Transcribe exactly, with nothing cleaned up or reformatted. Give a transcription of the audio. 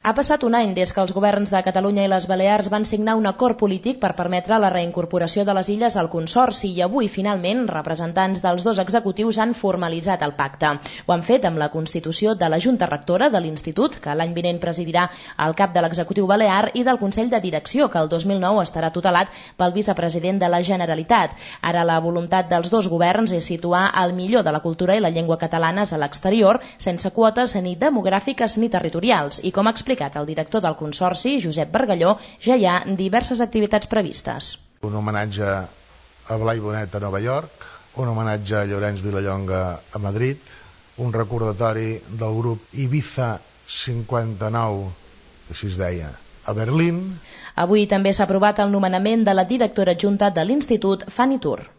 Ha passat un any des que els governs de Catalunya i les Balears van signar un acord polític per permetre la reincorporació de les illes al Consorci i avui, finalment, representants dels dos executius han formalitzat el pacte. Ho han fet amb la constitució de la Junta Rectora de l'Institut, que l'any vinent presidirà el cap de l'executiu balear, i del Consell de Direcció, que el dos mil nou estarà tutelat pel vicepresident de la Generalitat. Ara la voluntat dels dos governs és situar el millor de la cultura i la llengua catalanes a l'exterior, sense quotes ni demogràfiques ni territorials. I com ha explicat el director del Consorci, Josep Bargalló, ja hi ha diverses activitats previstes. Un homenatge a Blai Bonet a Nova York, un homenatge a Llorenç Vilallonga a Madrid, un recordatori del grup Ibiza cinquanta-nou, així es deia, a Berlín. Avui també s'ha aprovat el nomenament de la directora adjunta de l'Institut, Fanny Tur.